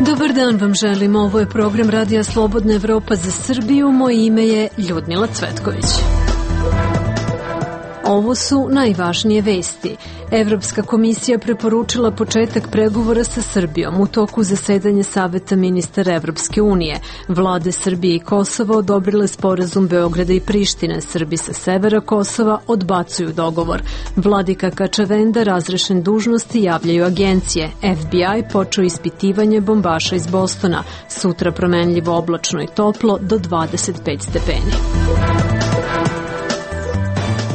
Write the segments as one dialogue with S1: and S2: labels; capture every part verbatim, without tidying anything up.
S1: Dobar dan vam želim, ovo je program Radija Slobodna Evropa za Srbiju, moje ime je Ljudmila Cvetković. Ovo su najvažnije vesti. Evropska komisija preporučila početak pregovora sa Srbijom u toku zasedanja Saveta ministara Evropske unije. Vlade Srbije i Kosova odobrile sporazum Beograda i Prištine. Srbi sa severa Kosova odbacuju dogovor. Vladika Kačavenda razrešen dužnosti, javljaju agencije. F B I počeo ispitivanje bombaša iz Bostona. Sutra promenljivo oblačno i toplo do dvadeset pet stepeni.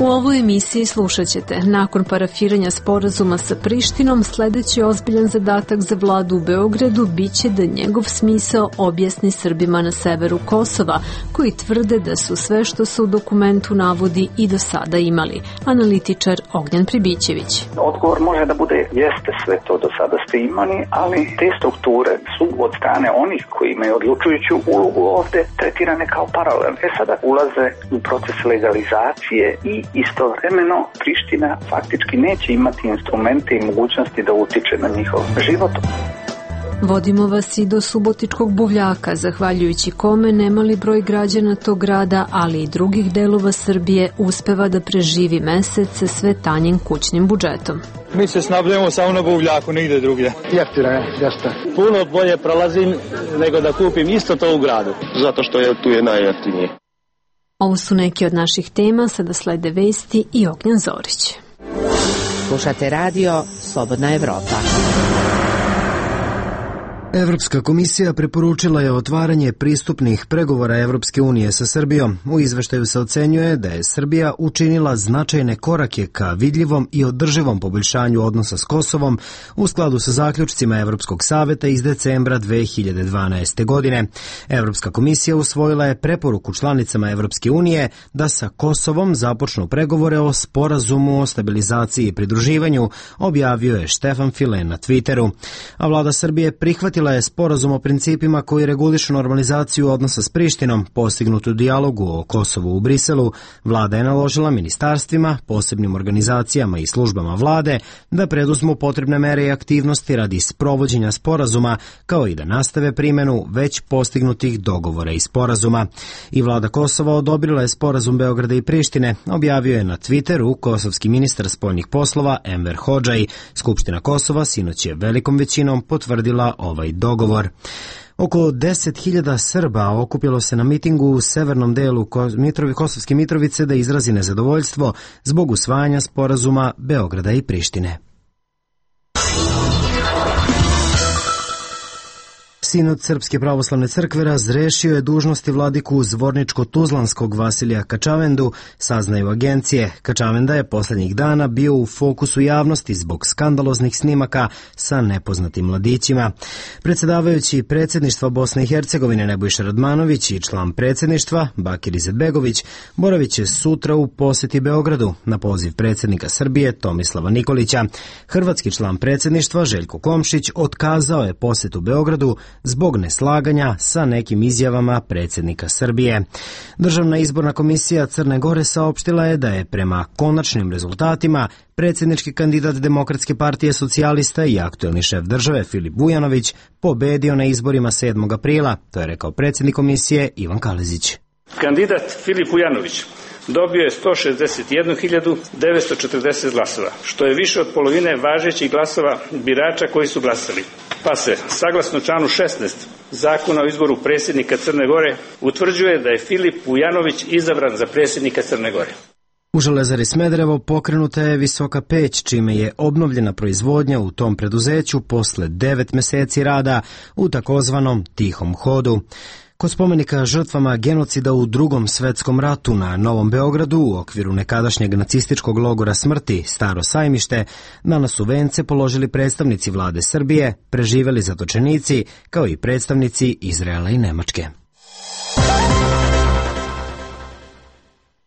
S1: U ovoj emisiji slušat ćete, nakon parafiranja sporazuma sa Prištinom, sledeći ozbiljan zadatak za vladu u Beogradu biće da njegov smisao objasni Srbima na severu Kosova, koji tvrde da su sve što se u dokumentu navodi i do sada imali. Analitičar Ognjen Pribićević.
S2: Odgovor može da bude jeste sve to do sada ste imali, ali te strukture su od strane onih koji imaju odlučujuću ulogu ovde tretirane kao paralelne. E sada ulaze u proces legalizacije i istovremeno Priština faktički neće imati instrumente i mogućnosti da utiče na njihov život.
S1: Vodimo vas i do Subotičkog buvljaka, zahvaljujući kome nemali broj građana tog grada, ali i drugih delova Srbije uspeva da preživi mesec sa sve tanjim kućnim budžetom.
S3: Mi se snabdemo samo na buvljaku, nigde drugdje.
S4: Jeftino je, jeste.
S5: Puno bolje prolazim nego da kupim isto to u gradu.
S6: Zato što je tu je najjeftinije.
S1: Ovo su neki od naših tema, sada slede vesti i Ognjen Zorić.
S7: Slušate radio Slobodna Evropa.
S8: Evropska komisija preporučila je otvaranje pristupnih pregovora Evropske unije sa Srbijom. U izveštaju se ocenjuje da je Srbija učinila značajne korake ka vidljivom i održivom poboljšanju odnosa s Kosovom u skladu sa zaključcima Evropskog saveta iz decembra dve hiljade dvanaeste. godine. Evropska komisija usvojila je preporuku članicama Evropske unije da sa Kosovom započnu pregovore o sporazumu o stabilizaciji i pridruživanju, objavio je Štefan File na Twitteru. A vlada Srbije prihvatila je sporazum o principima koji regulišu normalizaciju odnosa s Prištinom, postignutu dijalogu o Kosovu u Briselu. Vlada je naložila ministarstvima, posebnim organizacijama i službama vlade da preduzmu potrebne mere i aktivnosti radi sprovođenja sporazuma, kao i da nastave primjenu već postignutih dogovora i sporazuma. I vlada Kosova odobrila je sporazum Beograda i Prištine, objavio je na Twitteru kosovski ministar spoljnih poslova Enver Hodžaj. Skupština Kosova sinoć je velikom većinom potvrdila ovaj dogovor. Oko deset hiljada Srba okupilo se na mitingu u severnom delu Kosovske Mitrovice da izrazi nezadovoljstvo zbog usvajanja sporazuma Beograda i Prištine. Sinod Srpske pravoslavne crkve razrešio je dužnosti vladiku Zvorničko-Tuzlanskog Vasilija Kačavendu, saznaju agencije. Kačavenda je poslednjih dana bio u fokusu javnosti zbog skandaloznih snimaka sa nepoznatim mladićima. Predsjedavajući predsjedništva Bosne i Hercegovine Nebojša Radmanović i član predsjedništva Bakir Izetbegović boravit će sutra u posjeti Beogradu na poziv predsjednika Srbije Tomislava Nikolića. Hrvatski član predsjedništva Željko Komšić otkazao je posjetu Beogradu zbog neslaganja sa nekim izjavama predsjednika Srbije. Državna izborna komisija Crne Gore saopštila je da je prema konačnim rezultatima predsjednički kandidat Demokratske partije socijalista i aktuelni šef države Filip Vujanović pobedio na izborima sedmog aprila, to je rekao predsjednik komisije Ivan Kalezić.
S9: Kandidat Filip Vujanović dobio je sto šezdeset jednu hiljadu devetsto četrdeset glasova, što je više od polovine važećih glasova birača koji su glasali. Pa se, saglasno članu šesnaest Zakona o izboru predsjednika Crne Gore, utvrđuje da je Filip Vujanović izabran za predsjednika Crne Gore.
S8: U Železari Smederevo pokrenuta je visoka peć, čime je obnovljena proizvodnja u tom preduzeću posle devet meseci rada u takozvanom tihom hodu. Kod spomenika žrtvama genocida u Drugom svetskom ratu na Novom Beogradu u okviru nekadašnjeg nacističkog logora smrti Staro Sajmište, danas su vence položili predstavnici vlade Srbije, preživeli zatočenici, kao i predstavnici Izraela i Nemačke.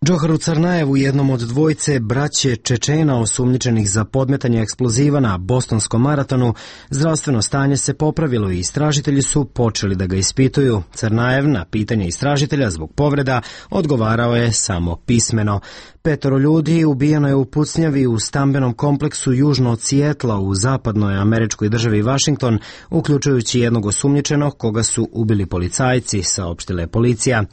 S8: Džoharu Carnajevu, jednom od dvojce braće Čečena osumnjičenih za podmetanje eksploziva na Bostonskom maratonu, zdravstveno stanje se popravilo i istražitelji su počeli da ga ispituju. Carnajev na pitanje istražitelja zbog povreda odgovarao je samo pismeno. Petoro ljudi ubijeno je u pucnjavi u stambenom kompleksu južno od Sijetla u zapadnoj američkoj državi Washington, uključujući jednog osumnjičenog koga su ubili policajci, saopštila je policija.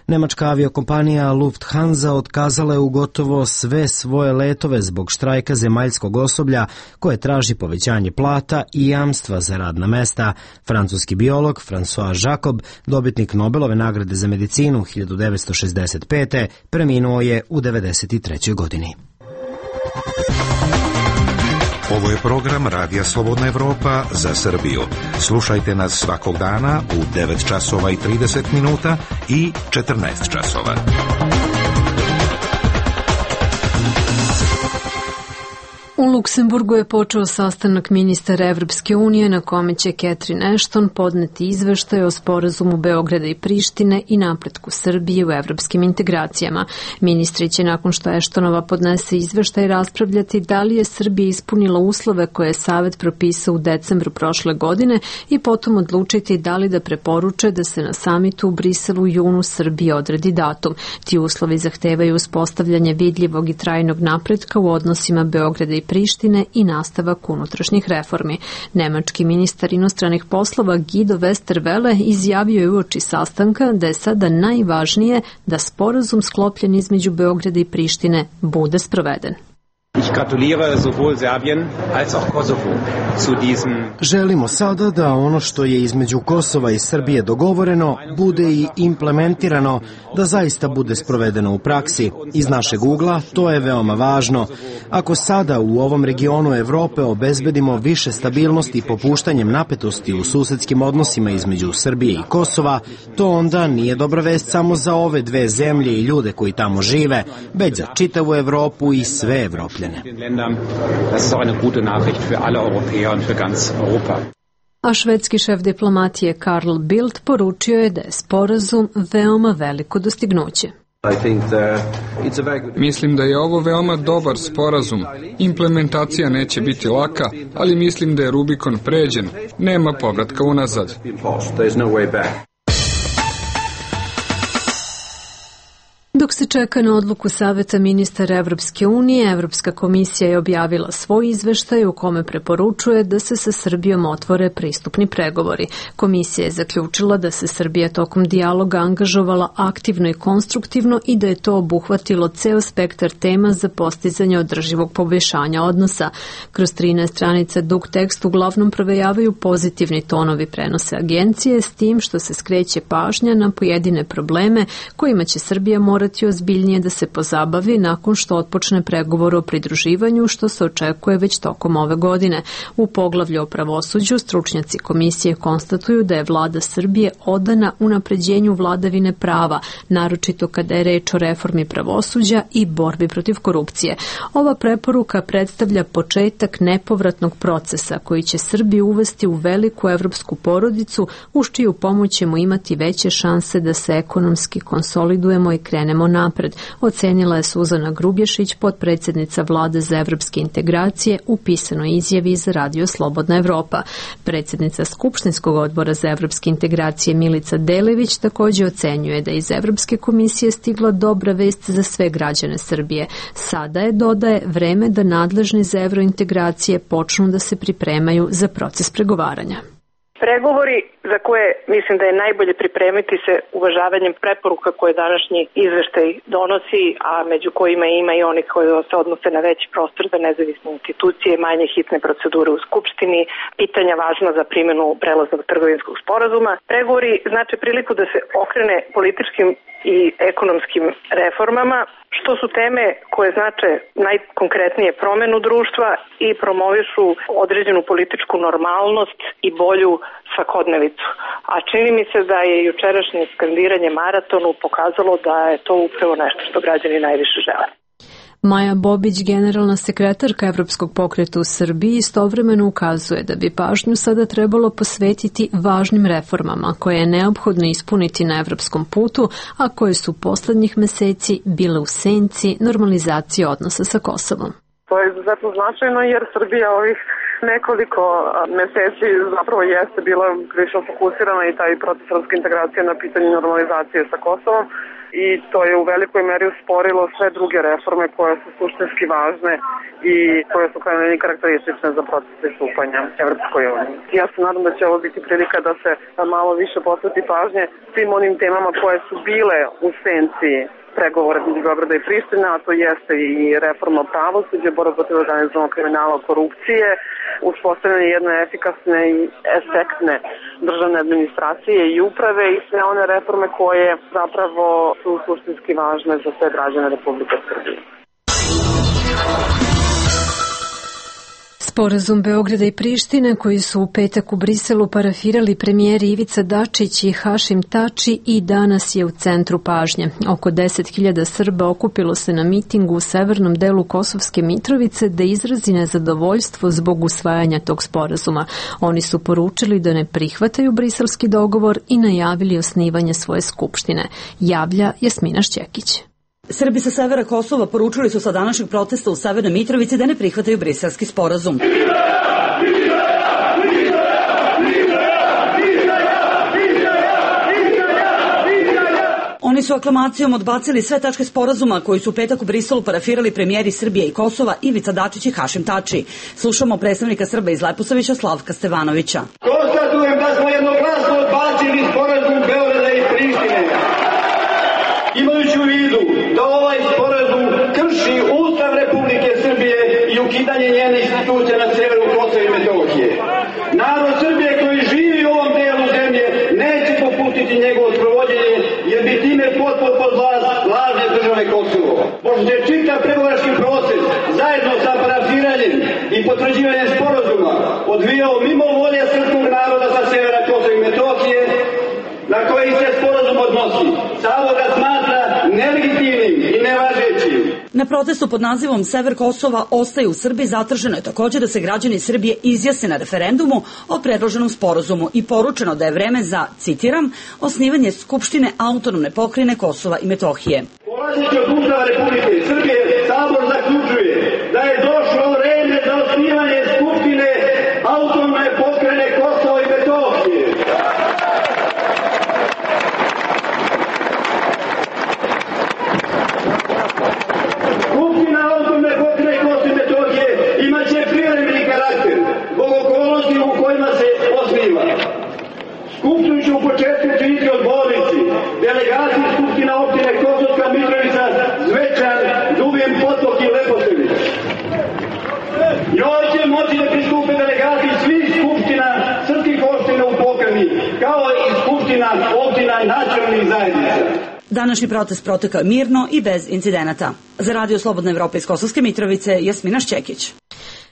S8: Nemačka aviokompanija Lufthansa otkazala je u gotovo sve svoje letove zbog štrajka zemaljskog osoblja koje traži povećanje plata i jamstva za radna mesta. Francuski biolog François Jacob, dobitnik Nobelove nagrade za medicinu hiljadu devetsto šezdeset pete. preminuo je u devedeset trećoj godini.
S4: Ovo je program Radija Slobodna Evropa za Srbiju. Slušajte nas svakog dana u devet časova i trideset minuta i četrnaest časova.
S1: U Luksemburgu je počeo sastanak ministara Evropske unije na kome će Catherine Ashton podneti izveštaj o sporazumu Beograda i Prištine i napretku Srbije u evropskim integracijama. Ministri će nakon što Ashtonova podnese izveštaj raspravljati da li je Srbija ispunila uslove koje je Savet propisao u decembru prošle godine i potom odlučiti da li da preporuče da se na samitu u Briselu u junu Srbije odredi datum. Ti uslovi zahtevaju uspostavljanje vidljivog i trajnog napretka u odnosima Beograda i Prištine i nastavak unutrašnjih reformi. Nemački ministar inostranih poslova Guido Westerwelle izjavio je uoči sastanka da je sada najvažnije da sporazum sklopljen između Beograda i Prištine bude sproveden.
S10: Ich gratuliere sowohl Serbien als auch Kosovo zu diesem.
S8: Želimo sada da ono što je između Kosova i Srbije dogovoreno bude i implementirano, da zaista bude sprovedeno u praksi. Iz našeg ugla to je veoma važno. Ako sada u ovom regionu Evrope obezbedimo više stabilnosti popuštanjem napetosti u susedskim odnosima između Srbije i Kosova, to onda nije dobra vest samo za ove dve zemlje i ljude koji tamo žive, već za čitavu Evropu i sve Evropljane.
S1: A švedski šef diplomatije Carl Bildt poručio je da je sporazum veoma veliko dostignuće.
S11: Mislim da je ovo veoma dobar sporazum. Implementacija neće biti laka, ali mislim da je Rubikon pređen. Nema povratka unazad.
S1: Dok se čeka na odluku Saveta ministara Evropske unije, Evropska komisija je objavila svoj izveštaj u kome preporučuje da se sa Srbijom otvore pristupni pregovori. Komisija je zaključila da se Srbija tokom dijaloga angažovala aktivno i konstruktivno i da je to obuhvatilo ceo spektar tema za postizanje održivog poboljšanja odnosa. Kroz trinaest stranica dug tekst uglavnom provejavaju pozitivni tonovi prenose agencije, s tim što se skreće pažnja na pojedine probleme kojima će Srbija morati ozbiljnije da se pozabavi nakon što otpočne pregovor o pridruživanju, što se očekuje već tokom ove godine. U poglavlju o pravosuđu stručnjaci komisije konstatuju da je vlada Srbije odana unapređenju vladavine prava, naročito kada je reč o reformi pravosuđa i borbi protiv korupcije. Ova preporuka predstavlja početak nepovratnog procesa koji će Srbiju uvesti u veliku evropsku porodicu, uz čiju pomoć ćemo imati veće šanse da se ekonomski konsolidujemo i krenemo napred, ocenila je Suzana Grubješić, potpredsjednica vlade za evropske integracije, u pisanoj izjavi za Radio Slobodna Evropa. Predsjednica Skupštinskog odbora za evropske integracije Milica Delević također ocenjuje da iz Evropske komisije stigla dobra vest za sve građane Srbije. Sada je, dodaje, vreme da nadležni za evrointegracije počnu da se pripremaju za proces pregovaranja.
S12: Pregovori za koje mislim da je najbolje pripremiti se uvažavanjem preporuka koje današnji izveštaj donosi, a među kojima ima i onih koji se odnose na veći prostor za nezavisne institucije, manje hitne procedure u Skupštini, pitanja važna za primjenu prelaznog trgovinskog sporazuma. Pregovori znače priliku da se okrene političkim i ekonomskim reformama, što su teme koje znače najkonkretnije promenu društva i promovišu određenu političku normalnost i bolju svakodnevicu. A čini mi se da je jučerašnje skandiranje maratonu pokazalo da je to upravo nešto što građani najviše žele.
S1: Maja Bobić, generalna sekretarka Evropskog pokreta u Srbiji, istovremeno ukazuje da bi pažnju sada trebalo posvetiti važnim reformama koje je neophodno ispuniti na evropskom putu, a koje su poslednjih meseci bile u senci normalizacije odnosa sa Kosovom.
S12: To je izuzetno značajno jer Srbija ovih nekoliko meseci zapravo jeste bila prilično fokusirana i taj proces evropske integracije na pitanju normalizacije sa Kosovom i to je u velikoj meri usporilo sve druge reforme koje su suštinski važne i koje su krajnje karakteristične za proces pristupanja Evropskoj uniji. Ja se nadam da će ovo biti prilika da se malo više posveti pažnje svim onim temama koje su bile u senci pregovora između Beograda i Prištine, a to jeste i reforma pravosuđa, borba protiv organizovanog kriminala, korupcije, uspostavljanje jedne efikasne i efektne državne administracije i uprave i sve one reforme koje zapravo su suštinski važne za sve građane Republike Srbije.
S1: Sporazum Beograda i Prištine koji su u petak u Briselu parafirali premijeri Ivica Dačić i Hašim Tači i danas je u centru pažnje. Oko deset hiljada Srba okupilo se na mitingu u severnom delu Kosovske Mitrovice da izrazi nezadovoljstvo zbog usvajanja tog sporazuma. Oni su poručili da ne prihvataju briselski dogovor i najavili osnivanje svoje skupštine. Javlja Jasmina Šćekić.
S13: Srbi sa severa Kosova poručili su sa današnjeg protesta u Severnoj Mitrovici da ne prihvataju briselski sporazum. Oni su aklamacijom odbacili sve tačke sporazuma koji su u petak u Briselu parafirali premijeri Srbije i Kosova Ivica Dačić i Hašim Tači. Slušamo predstavnika Srba iz Leposavića Slavka Stevanovića.
S14: Konstatujem da smo jednoglasno odbacili sporazum Beograda i Prištine. Imajući u vidu da ovaj sporazum krši Ustav Republike Srbije i ukidanje njene institucije na severu Kosova i Metohije. Narod Srbije koji živi u ovom delu zemlje neće popustiti njegovo sprovođenje jer bi time potpuno pod vlast lažne države Kosovo. Pošto je čitav pregovarački proces zajedno sa parafiranjem i potvrđivanjem sporazuma odvijao mimo volje srpskog naroda sa severa Kosova i Metohije, na koji se sporazum odnosi, samo ga smatra nelegitimnim i nevažećim.
S13: Na protestu pod nazivom Sever Kosova ostaje u Srbiji zatraženo je također da se građani Srbije izjasne na referendumu o predloženom sporazumu i poručeno da je vreme za, citiram, osnivanje Skupštine autonomne pokrajine Kosova i Metohije.
S14: Polazeći od Ustava Republike Srbije, Sabor zaključuje da je došlo vreme za osnivanje Skupštine autonomne pokrajine Kosova i Metohije. Skupština autonomne pokrajine Kosova i Metohije imaće privremeni karakter zbog okolnosti u kojima se osniva. Skupštinu će u početku činiti odbornici, delegati Skupština opštine Kosovska Mitrovica, Zvečan, Dubin, Potok i Leposavić. Njoj će moći da pristupe delegati svih skupština srpskih opština u pokrajini, kao i skupština opština nacionalnih zajednica.
S13: Današnji protest protekao mirno i bez incidenata. Za Radio Slobodna Evropa iz Kosovske Mitrovice, Jasmina Šćekić.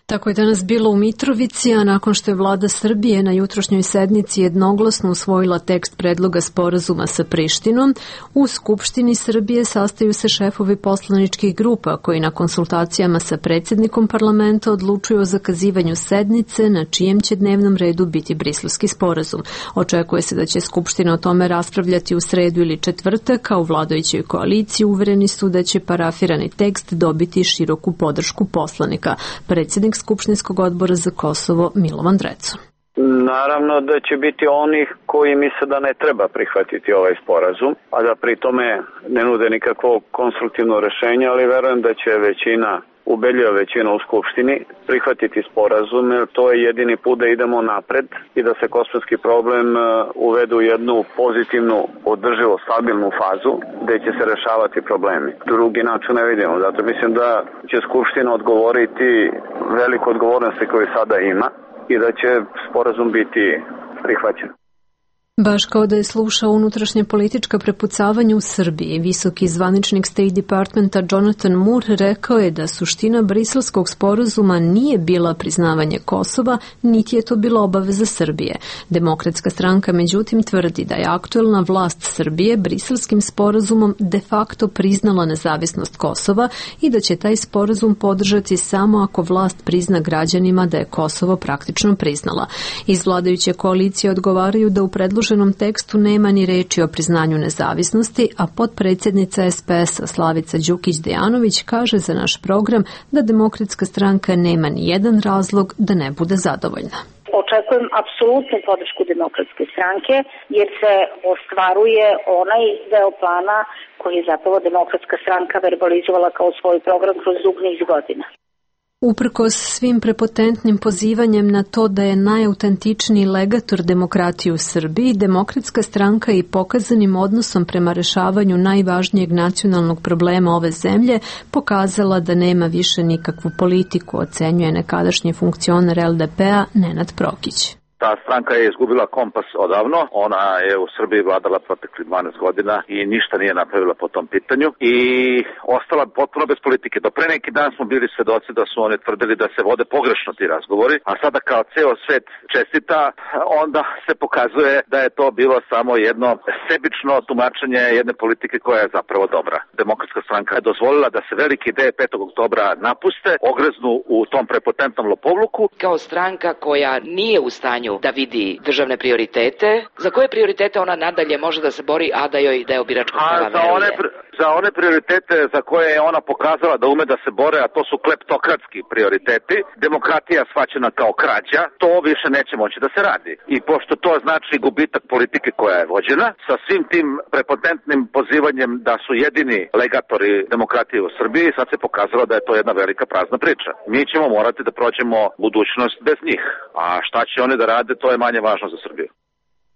S1: Tako je danas bilo u Mitrovici, a nakon što je vlada Srbije na jutrošnjoj sednici jednoglasno usvojila tekst predloga sporazuma sa Prištinom, u Skupštini Srbije sastaju se šefovi poslaničkih grupa koji na konsultacijama sa predsjednikom parlamenta odlučuju o zakazivanju sednice na čijem će dnevnom redu biti briselski sporazum. Očekuje se da će Skupština o tome raspravljati u sredu ili četvrtak, a u vladajućoj koaliciji uvereni su da će parafirani tekst dobiti široku podršku poslanika. Predsjednik Skupštinskog odbora za Kosovo Milovan Drecun.
S15: Naravno da će biti onih koji misle da ne treba prihvatiti ovaj sporazum, a da pri tome ne nude nikakvo konstruktivno rešenje, ali verujem da će većina, ubedljiva većina u Skupštini prihvatiti sporazum, jer to je jedini put da idemo napred i da se kosovski problem uvede u jednu pozitivnu, održivo, stabilnu fazu gde će se rešavati problemi. Drugi način ne vidimo, zato mislim da će Skupština odgovoriti veliku odgovornosti koju sada ima i da će sporazum biti prihvaćen.
S1: Baš kao da je slušao unutrašnje politička prepucavanja u Srbiji, visoki zvaničnik State Departmenta Jonathan Moore rekao je da suština briselskog sporazuma nije bila priznavanje Kosova, niti je to bila obaveza Srbije. Demokratska stranka međutim tvrdi da je aktuelna vlast Srbije briselskim sporazumom de facto priznala nezavisnost Kosova i da će taj sporazum podržati samo ako vlast prizna građanima da je Kosovo praktično priznala. Iz vladajuće koalicije odgovaraju da u predloženom U tekstu nema ni reči o priznanju nezavisnosti, a potpredsjednica S P S-a Slavica Đukić-Dejanović kaže za naš program da Demokratska stranka nema ni jedan razlog da ne bude zadovoljna.
S16: Očekujem apsolutnu podršku Demokratske stranke jer se ostvaruje onaj deo plana koji je zapravo Demokratska stranka verbalizovala kao svoj program kroz dug niz godina.
S1: Uprkos svim prepotentnim pozivanjem na to da je najautentičniji legator demokratije u Srbiji, Demokratska stranka i pokazanim odnosom prema rešavanju najvažnijeg nacionalnog problema ove zemlje pokazala da nema više nikakvu politiku, ocenjuje nekadašnji funkcioner L D P-a Nenad Prokić.
S17: Ta stranka je izgubila kompas odavno, ona je u Srbiji vladala protekli dvanaest godina i ništa nije napravila po tom pitanju i ostala potpuno bez politike. Do pre neki dan smo bili svedoci da su oni tvrdili da se vode pogrešno ti razgovori, a sada kao ceo svet čestita, onda se pokazuje da je to bilo samo jedno sebično tumačenje jedne politike koja je zapravo dobra. Demokratska stranka je dozvolila da se velike ideje petog oktobra napuste, ogreznu u tom prepotentnom lopovluku.
S18: Kao stranka koja nije u stanju da vidi državne prioritete, za koje prioritete ona nadalje može da se bori, a da joj deo biračkog tela veruje?
S17: Za one prioritete za koje je ona pokazala da ume da se bore, a to su kleptokratski prioriteti, demokratija shvaćena kao krađa, to više neće moći da se radi. I pošto to znači gubitak politike koja je vođena, sa svim tim prepotentnim pozivanjem da su jedini legatori demokratije u Srbiji, sad se pokazalo da je to jedna velika prazna priča. Mi ćemo morati da prođemo budućnost bez njih, a šta će oni da rade, to je manje važno za Srbiju.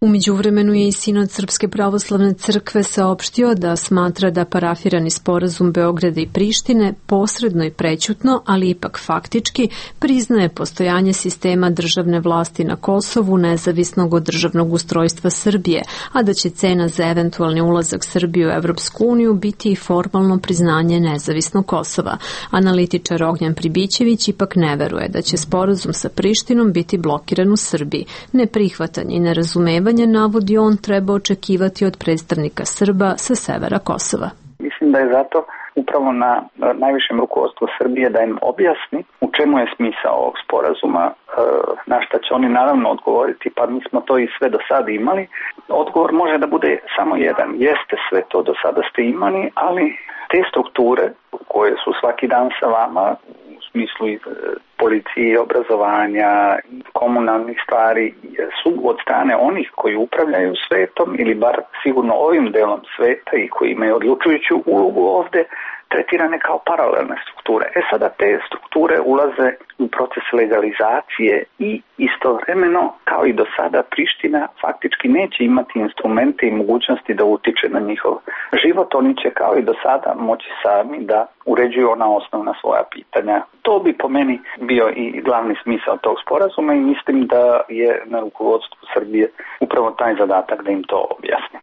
S1: U međuvremenu je i Sinod Srpske pravoslavne crkve saopštio da smatra da parafirani sporazum Beograda i Prištine posredno i prećutno, ali ipak faktički, priznaje postojanje sistema državne vlasti na Kosovu nezavisnog od državnog ustrojstva Srbije, a da će cena za eventualni ulazak Srbije u Evropsku uniju biti i formalno priznanje nezavisnog Kosova. Analitičar Ognjan Pribićević ipak ne veruje da će sporazum sa Prištinom biti blokiran u Srbiji. Neprihvatanje i nerazumevanje navodi on treba očekivati od predstavnika Srba sa severa Kosova.
S2: Mislim da je zato upravo na najvišem rukovodstvu Srbije da im objasni u čemu je smisao ovog sporazuma, na šta će oni naravno odgovoriti, pa mi smo to i sve do sada imali. Odgovor može da bude samo jedan, jeste sve to do sada ste imali, ali te strukture koje su svaki dan sa vama, u smislu policije, obrazovanja, komunalnih stvari, su od strane onih koji upravljaju svetom ili bar sigurno ovim delom sveta i koji imaju odlučujuću ulogu ovde, tretirane kao paralelne strukture. E sada te strukture ulaze u proces legalizacije i istovremeno, kao i do sada, Priština faktički neće imati instrumente i mogućnosti da utiče na njihov život. Oni će kao i do sada moći sami da uređuju ona osnovna svoja pitanja. To bi po meni bio i glavni smisao tog sporazuma i mislim da je na rukovodstvu Srbije upravo taj zadatak da im to objasni.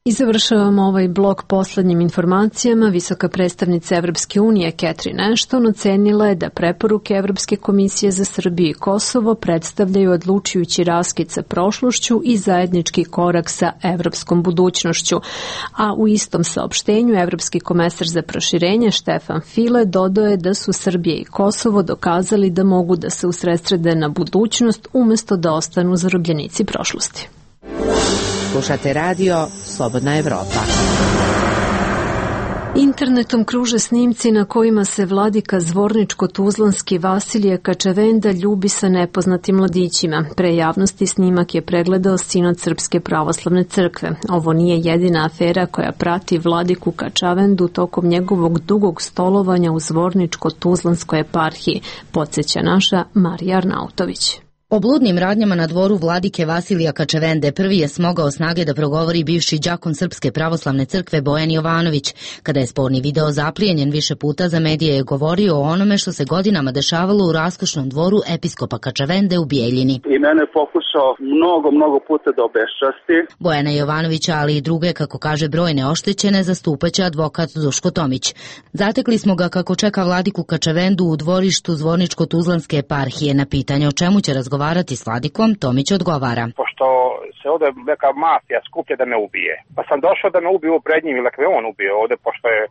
S1: I završavamo ovaj blok poslednjim informacijama. Visoka predstavnica Evropske unije Catherine Ashton ocenila je da preporuke Evropske komisije za Srbiju i Kosovo predstavljaju odlučujući raskid sa prošlošću i zajednički korak sa evropskom budućnošću. A u istom saopštenju Evropski komesar za proširenje Štefan File dodao je da su Srbija i Kosovo dokazali da mogu da se usredsrede na budućnost umesto da ostanu zarobljenici prošlosti.
S7: Slušate radio Slobodna Evropa.
S1: Internetom kruže snimci na kojima se vladika zvorničko-tuzlanski Vasilije Kačavenda ljubi sa nepoznatim mladićima. Pre javnosti snimak je pregledao Sinod Srpske pravoslavne crkve. Ovo nije jedina afera koja prati vladiku Kačavendu tokom njegovog dugog stolovanja u zvorničko-tuzlanskoj eparhiji, podsjeća naša Marija Arnautović.
S19: O bludnim radnjama na dvoru vladike Vasilija Kačavende prvi je smogao snage da progovori bivši đakon Srpske pravoslavne crkve Bojan Jovanović. Kada je sporni video zaplijenjen više puta, za medije je govorio o onome što se godinama dešavalo u raskošnom dvoru episkopa Kačavende u Bijeljini.
S20: I mene je pokušao mnogo, mnogo puta da obeščasti.
S19: Bojana Jovanovića, ali i druge, kako kaže, brojne oštećene, zastupaće advokat Duško Tomić. Zatekli smo ga kako čeka vladiku Kačavendu u dvorištu Zvorničko-Tuzlanske eparhije. Na pitanje o čemu će razgovarati razgovarati s vladikom, Tomić odgovara.
S21: Pošto se ovde neka mafija skuplja da me ubije, pa sam došao da me ubiju pred njim ili me on ubio ovde, pošto je,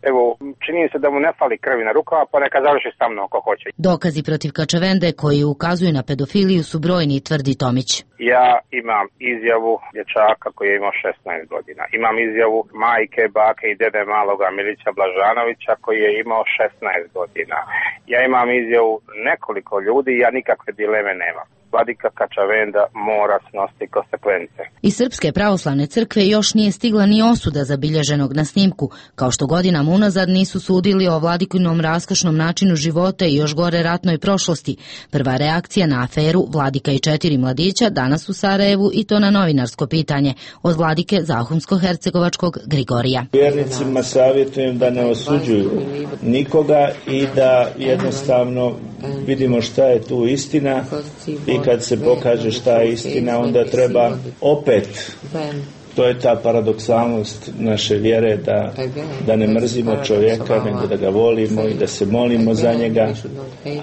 S21: evo, čini se da mu ne fali krvi na rukama, pa neka završi sa mnom ako hoće.
S19: Dokazi protiv Kačavende koji ukazuju na pedofiliju su brojni, tvrdi Tomić.
S21: Ja imam izjavu dječaka koji je imao šesnaest godina. Imam izjavu majke, bake i dede maloga Milića Blažanovića koji je imao šesnaest godina. Ja imam izjavu nekoliko ljudi i ja nikakve dileme nemam. Vladika Kačavenda mora snositi konsekvence.
S19: Iz Srpske pravoslavne crkve još nije stigla ni osuda zabilježenog na snimku, kao što godinama unazad nisu sudili o vladikinom raskošnom načinu života i još gore ratnoj prošlosti. Prva reakcija na aferu Vladika i četiri mladića danas u Sarajevu, i to na novinarsko pitanje od vladike Zahumsko-hercegovačkog Grigorija.
S22: Vjernicima savjetujem da ne osuđuju nikoga i da jednostavno vidimo šta je tu istina, i kad se pokaže šta je istina, onda treba opet, to je ta paradoksalnost naše vjere, da, da ne mrzimo čovjeka, nego da ga volimo i da se molimo za njega,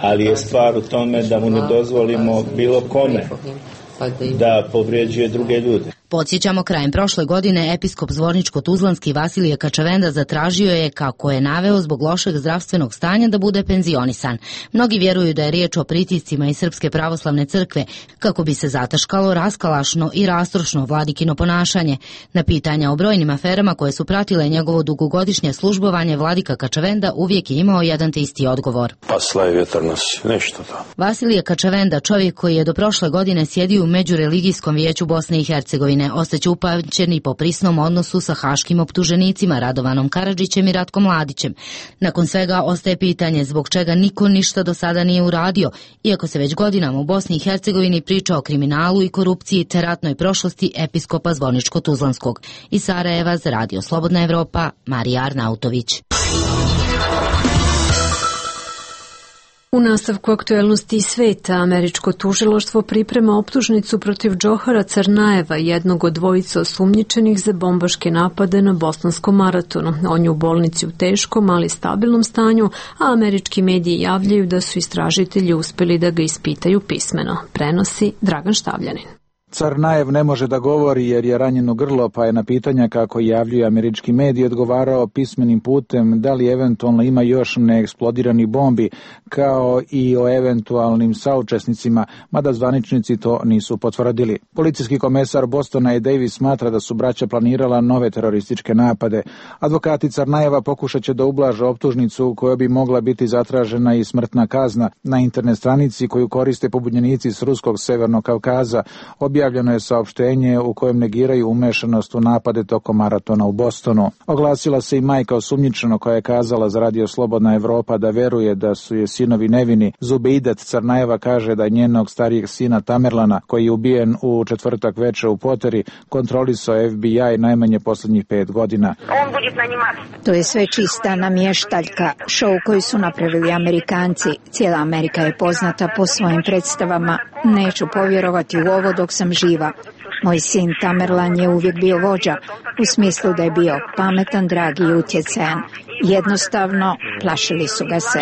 S22: ali je stvar u tome da mu ne dozvolimo bilo kome da povrijeđuje druge ljude.
S19: Podsjećamo, krajem prošle godine episkop Zvorničko-Tuzlanski Vasilije Kačavenda zatražio je, kako je naveo, zbog lošeg zdravstvenog stanja da bude penzionisan. Mnogi vjeruju da je riječ o pritiscima iz Srpske pravoslavne crkve, kako bi se zataškalo raskalašno i rastrošno vladikino ponašanje. Na pitanja o brojnim aferama koje su pratile njegovo dugogodišnje službovanje, vladika Kačavenda uvijek je imao jedan te isti odgovor.
S23: Pa slaje vjetar nas, nešto to.
S19: Vasilije Kačavenda, čovjek koji je do prošle godine sjedio u Međureligijskom vijeću Bosne i Hercegovine, ostaće upamćen i po prisnom odnosu sa haškim optuženicima Radovanom Karadžićem i Ratkom Mladićem. Nakon svega ostaje pitanje zbog čega niko ništa do sada nije uradio, iako se već godinama u Bosni i Hercegovini priča o kriminalu i korupciji te ratnoj prošlosti episkopa Zvorničko-Tuzlanskog. Iz Sarajeva za Radio Slobodna Evropa, Marija Arnautović.
S1: U nastavku aktuelnosti sveta, američko tužilaštvo priprema optužnicu protiv Džohara Crnajeva, jednog od dvojice osumnjičenih za bombaške napade na bosanskom maratonu. On je u bolnici u teškom, ali stabilnom stanju, a američki mediji javljaju da su istražitelji uspjeli da ga ispitaju pismeno. Prenosi Dragan Štavljanin.
S24: Crnajev ne može da govori jer je ranjeno grlo, pa je na pitanja, kako javljaju američki mediji, odgovarao pismenim putem da li eventualno ima još neeksplodiranih bombi, kao i o eventualnim saučesnicima, mada zvaničnici to nisu potvrdili. Policijski komesar Bostona i Davis smatra da su braća planirala nove terorističke napade. Advokati Crnajeva pokušat će da ublaže optužnicu koja bi mogla biti zatražena i smrtna kazna. Na internet stranici koju koriste pobunjenici s Ruskog Severnog Kavkaza objavljeno je saopštenje u kojem negiraju umešanost u napade tokom maratona u Bostonu. Oglasila se i majka osumnjičenog koja je kazala za Radio Slobodna Evropa da veruje da su je sinovi nevini. Zubeidat Crnajeva kaže da njenog starijeg sina Tamerlana, koji je ubijen u četvrtak veče u Poteri, kontrolisao F B I najmanje posljednjih pet godina.
S25: To je sve čista namještaljka, šou koji su napravili Amerikanci. Cijela Amerika je poznata po svojim predstavama. Neću povjerovati u ovo dok sam živa. Moj sin Tamerlan je uvijek bio vođa, u smislu da je bio pametan, dragi i utjecajan. Jednostavno, plašili su ga se.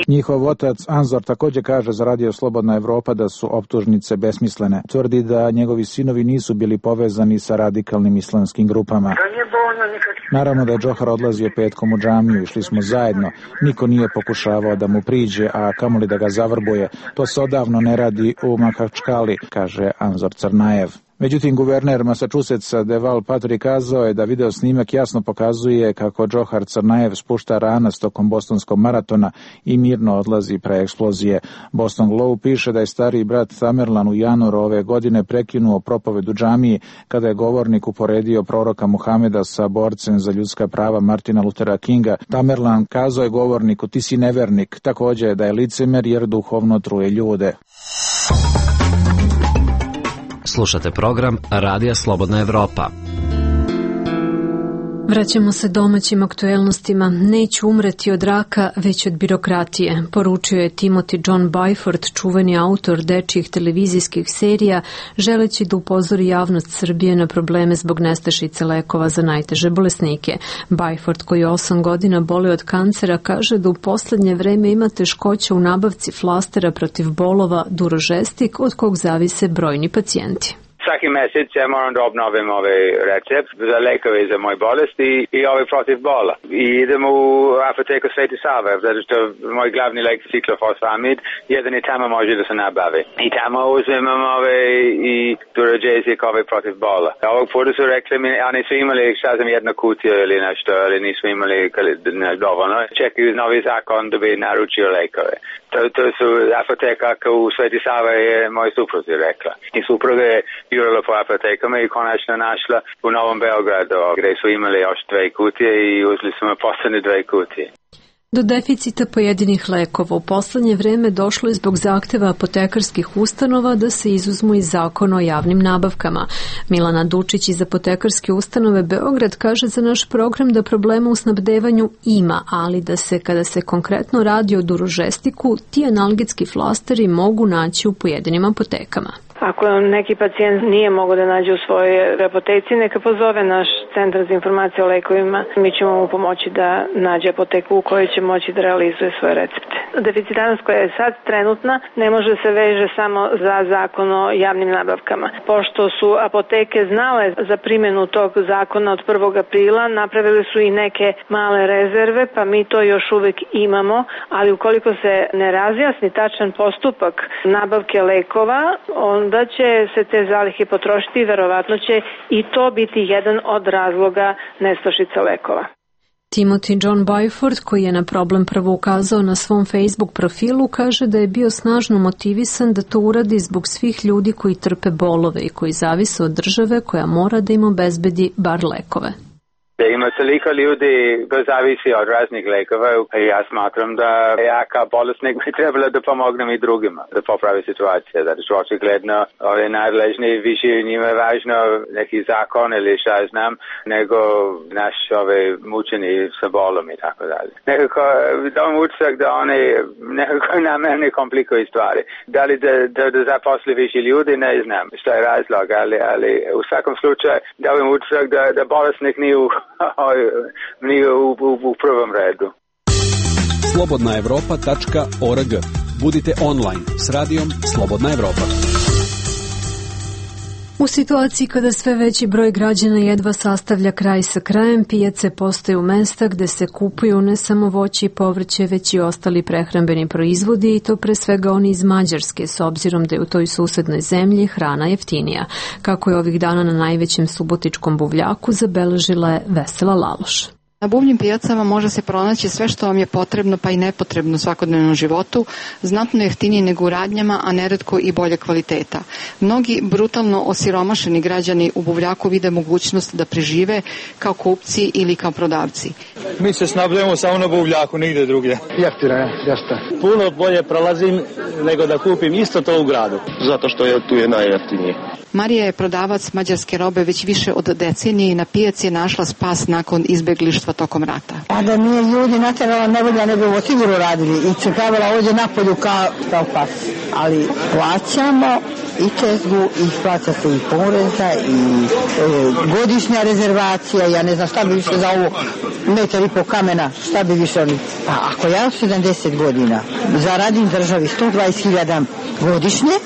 S24: Njihov otac Anzor također kaže za Radio Slobodna Evropa da su optužnice besmislene. Tvrdi da njegovi sinovi nisu bili povezani sa radikalnim islamskim grupama. Naravno da je Džohar odlazio petkom u džamiju, išli smo zajedno. Niko nije pokušavao da mu priđe, a kamoli da ga zavrbuje. To se odavno ne radi u Makačkali, kaže Anzor Crnajev. Međutim, guverner Massachusettsa Deval Patrick kazao je da video snimak jasno pokazuje kako Džohar Crnajev spušta ranas tokom bostonskog maratona i mirno mirno odlazi pre eksplozije. Boston Globe piše da je stariji brat Tamerlan u januaru ove godine prekinuo propoved u džamiji kada je govornik uporedio proroka Muhameda sa borcem za ljudska prava Martina Luthera Kinga. Tamerlan kazao je govorniku: ti si nevernik, takođe da je licemer jer duhovno truje ljude.
S3: Slušate program Radija Slobodna Evropa.
S1: Vraćamo se domaćim aktuelnostima. Neću umreti od raka, već od birokratije, poručio je Timothy John Byford, čuveni autor dečjih televizijskih serija, želeći da upozori javnost Srbije na probleme zbog nestašice lekova za najteže bolesnike. Byford, koji osam godina boli od kancera, kaže da u poslednje vreme ima teškoća u nabavci flastera protiv bolova Durožestik, od kog zavise brojni pacijenti.
S4: Svaki mesec ja moram da obnovim ovaj recept za lekove za moje bolesti i ovaj protiv bola. I idem u apoteku Sveti Sava, zato što moj glavni lek ciklofosfamid, jedan i tamo može da se nabavi. I tamo uzmem ovaj i Duragesic ovaj protiv bola. Ovog puta su rekli mi, a nisu imali, šta znam, jedna kutija ili nešto, ali nisu imali dovoljno. Čekaju novi zakon da bi naručio lekove. To, to su apoteka u Sveti Sava je moj supruzi rekla. I supruga je jurila po apotekama i konačno našla u Novom Beogradu, gdje su imali još dve kutije i uzeli smo poslednje dve kutije.
S1: Do deficita pojedinih lekova u poslednje vreme došlo je zbog zahteva apotekarskih ustanova da se izuzmu iz zakona o javnim nabavkama. Milana Dučić iz Apotekarske ustanove Beograd kaže za naš program da problema u snabdevanju ima, ali da se kada se konkretno radi o Durožestiku, ti analgetski flasteri mogu naći u pojedinim apotekama.
S12: Ako neki pacijent nije mogao da nađe u svojoj apoteci, neka pozove naš centar za informacije o lekovima. Mi ćemo mu pomoći da nađe apoteku u kojoj će moći da realizuje svoje recepte. Deficitarnost koja je sad trenutna ne može se veže samo za zakon o javnim nabavkama. Pošto su apoteke znale za primjenu tog zakona od prvog aprila, napravili su i neke male rezerve, pa mi to još uvek imamo, ali ukoliko se ne razjasni tačan postupak nabavke lekova, on da će se te zalihe potrošiti i verovatno će i to biti jedan od razloga nestašice lekova.
S1: Timothy John Byford, koji je na problem prvo ukazao na svom Facebook profilu, kaže da je bio snažno motivisan da to uradi zbog svih ljudi koji trpe bolove i koji zavise od države koja mora da im obezbedi bar lekove.
S4: Ima toliko ljudi koji zavisi od raznih lekova i ja smatram da ja kao bolesnik bi trebalo da pomognem i drugima da popravi situacija. Zato što očigledno ove nadležni više njima je važno neki zakon ili šta znam nego naš ove mučeni sa bolom i tako dalje. Nekako dam utisak da oni nekako namerne komplikuju stvari. Da li da, da, da zaposli više ljudi, ne znam šta je razlog, ali, ali u svakom slučaju dam utisak da, da bolesnik nije u nije u, u, u prvom redu.
S5: slobodna evropa tačka org. Budite online s radijom Slobodna Evropa.
S1: U situaciji kada sve veći broj građana jedva sastavlja kraj sa krajem, pijace postaju mesta gde se kupuju ne samo voće i povrće, već i ostali prehrambeni proizvodi i to pre svega oni iz Mađarske, s obzirom da je u toj susednoj zemlji hrana jeftinija. Kako je ovih dana na najvećem subotičkom buvljaku, zabeležila je Vesela Laloš.
S6: Na buvljim pijacama može se pronaći sve što vam je potrebno pa i nepotrebno u svakodnevnom životu, znatno jeftinije nego u radnjama, a neretko i bolje kvaliteta. Mnogi brutalno osiromašeni građani u buvljaku vide mogućnost da prežive kao kupci ili kao prodavci.
S9: Mi se snabdujemo samo na buvljaku, nigde drugdje.
S26: Jeftino je, jeste.
S9: Puno bolje prolazim nego da kupim isto to u gradu.
S26: Zato što je tu je najjeftinije.
S6: Marija je prodavac mađarske robe već više od decenije i na pijaci je našla spas nakon izbeglištva tokom rata.
S27: A da nije ljudi naterala nevolja, ne bi ovo sigurno radili i čekavala ovdje napolju kao, kao pas. Ali plaćamo i čezgu, i plaća se i poreza, i e, godišnja rezervacija, ja ne znam šta bi više za ovo metar i po kamena, šta bi više oni. Pa ako ja sedamdeset godina zaradim državi sto dvadeset hiljada godišnje,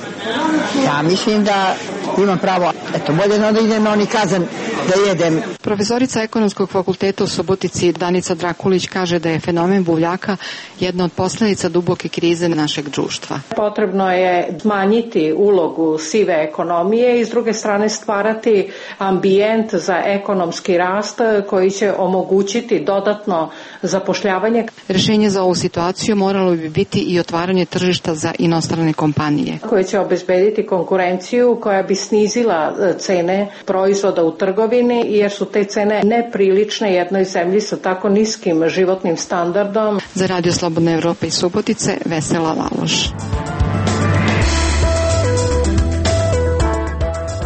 S27: ja mislim da imam pravo, eto, bolje da idem na oni kazan da jedem.
S6: Profesorica Ekonomskog fakulteta u Subotici Danica Drakulić kaže da je fenomen buvljaka jedna od posljedica duboke krize našeg društva.
S8: Potrebno je smanjiti ulogu sive ekonomije i s druge strane stvarati ambijent za ekonomski rast koji će omogućiti dodatno zapošljavanje.
S6: Rješenje za ovu situaciju moralo bi biti i otvaranje tržišta za inostrane kompanije
S8: koje će obezbediti konkurenciju koja bi snizila cene proizvoda u trgovini, jer su te cene neprilične jednoj zemlji sa tako niskim životnim standardom.
S6: Za Radio Slobodna Evropa iz Subotice, Vesela Laloš.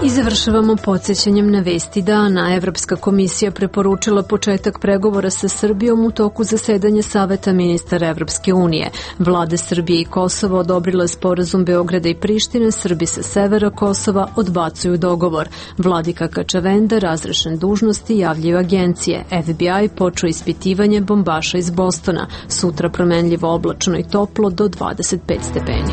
S1: I završavamo podsjećanjem na vesti dana. Evropska komisija preporučila početak pregovora sa Srbijom u toku zasedanja Saveta ministara Evropske unije. Vlade Srbije i Kosova odobrile sporazum Beograda i Prištine, Srbi sa severa Kosova odbacuju dogovor. Vladika Kačavenda razrešen dužnosti, javljaju agencije. F B I počeo ispitivanje bombaša iz Bostona. Sutra promenljivo oblačno i toplo do dvadeset pet stepeni.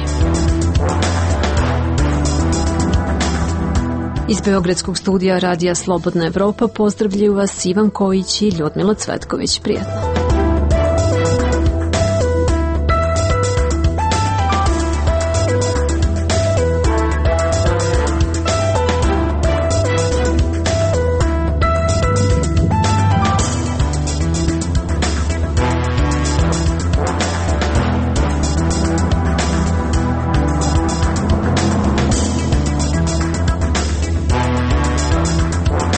S1: Iz Beogradskog studija Radija Slobodna Evropa pozdravljaju vas Ivan Kojić i Ljudmila Cvetković. Prijatno.